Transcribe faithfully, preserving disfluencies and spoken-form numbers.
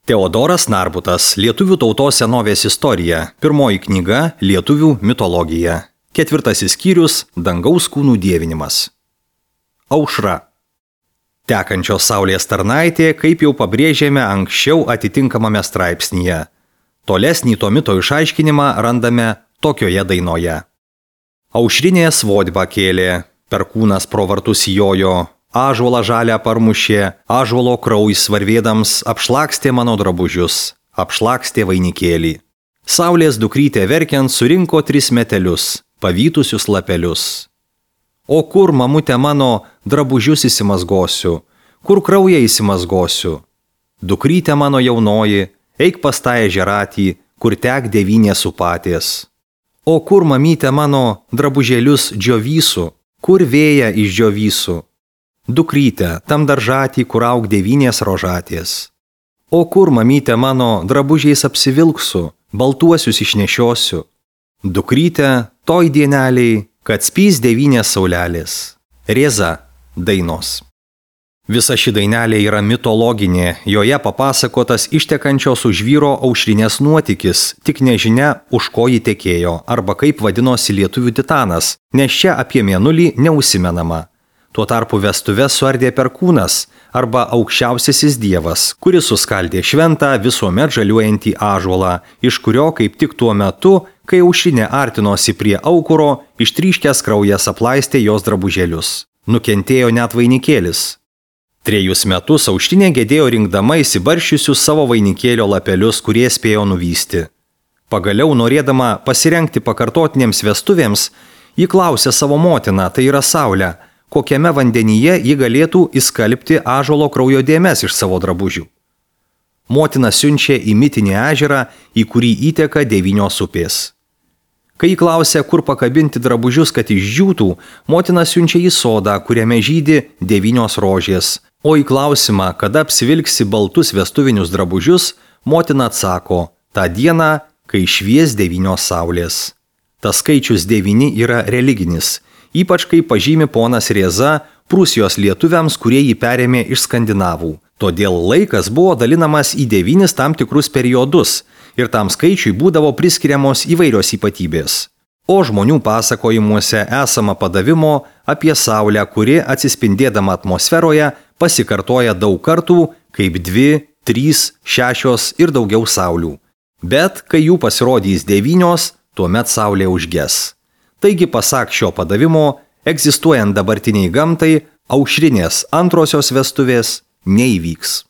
Teodoras Narbutas, Lietuvių tautos senovės istorija, pirmoji knyga Lietuvių mitologija, ketvirtasis skyrius Dangaus kūnų dievinimas. Aušra. Tekančios saulės tarnaitė, kaip jau pabrėžėme anksčiau atitinkamame straipsnyje. Tolesnį to mito išaiškinimą randame tokioje dainoje. Aušrinė svodbą kėlė, perkūnas pro vartus jojo, ąžuolą žalią parmušė, ąžuolo kraujas varvėdams apšlakstė mano drabužius, apšlakstė vainikėlį. Saulės dukrytė verkiant surinko tris metelius, pavytusius lapelius. O kur, mamutė mano, drabužius įsimazgosiu, kur kraują įsimazgosiu? Dukrytė mano jaunoji, eik pas tą ežeratį, kur tek devynės upatės. O kur, mamytė mano, drabužėlius džiovysiu, kur vėją išdžiovysiu? Dukrytė, tam daržatį, kur aug devynės rožatės. O kur, mamytė mano, drabužiais apsivilksiu, baltuosius išnešiosiu? Dukrytė, toj dieneliai, kad spys devynės saulelės. Rėza, dainos. Visa ši dainelė yra mitologinė, joje papasakotas ištekančios už vyro aušrinės nuotykis, tik nežinia, už ko ji tekėjo, arba kaip vadinosi lietuvių titanas, nes čia apie mėnulį neužsimenama. Tuo tarpu vestuves suardė perkūnas arba aukščiausiasis dievas, kuris suskaldė šventą visuomet žaliuojantį ąžuolą, iš kurio kaip tik tuo metu, kai aušrinė artinosi prie aukuro, ištryškęs kraujas aplaistė jos drabužėlius. Nukentėjo net vainikėlis. Trejus metus aušrinė gedėjo rinkdama įsibaršiusius savo vainikėlio lapelius, kurie spėjo nuvysti. Pagaliau, norėdama pasirengti pakartotinėms vestuvėms, ji klausė savo motiną, tai yra Saulę, kokiame vandenyje ji galėtų įskalbti ąžuolo kraujo dėmes iš savo drabužių. Motina siunčia į mitinį ežerą, į kurį įteka devynios upės. Kai ji klausia, kur pakabinti drabužius, kad išdžiūtų, motina siunčia į sodą, kuriame žydi devynios rožės, o į klausimą, kada apsivilksi baltus vestuvinius drabužius, motina atsako, tą dieną, kai švies devynios saulės. Tas skaičius devyni yra religinis, ypač kai pažymi ponas Rėza Prūsijos lietuviams, kurie jį perėmė iš skandinavų. Todėl laikas buvo dalinamas į devynis tam tikrus periodus ir tam skaičiui būdavo priskiriamos įvairios ypatybės. O žmonių pasakojimuose esama padavimo apie Saulę, kuri atsispindėdama atmosferoje pasikartoja daug kartų kaip dvi, trys, šešios ir daugiau saulių. Bet kai jų pasirodys devynios, tuomet Saulė užges. Taigi, pasak šio padavimo, egzistuojant dabartiniai gamtai, aušrinės antrosios vestuvės neįvyks.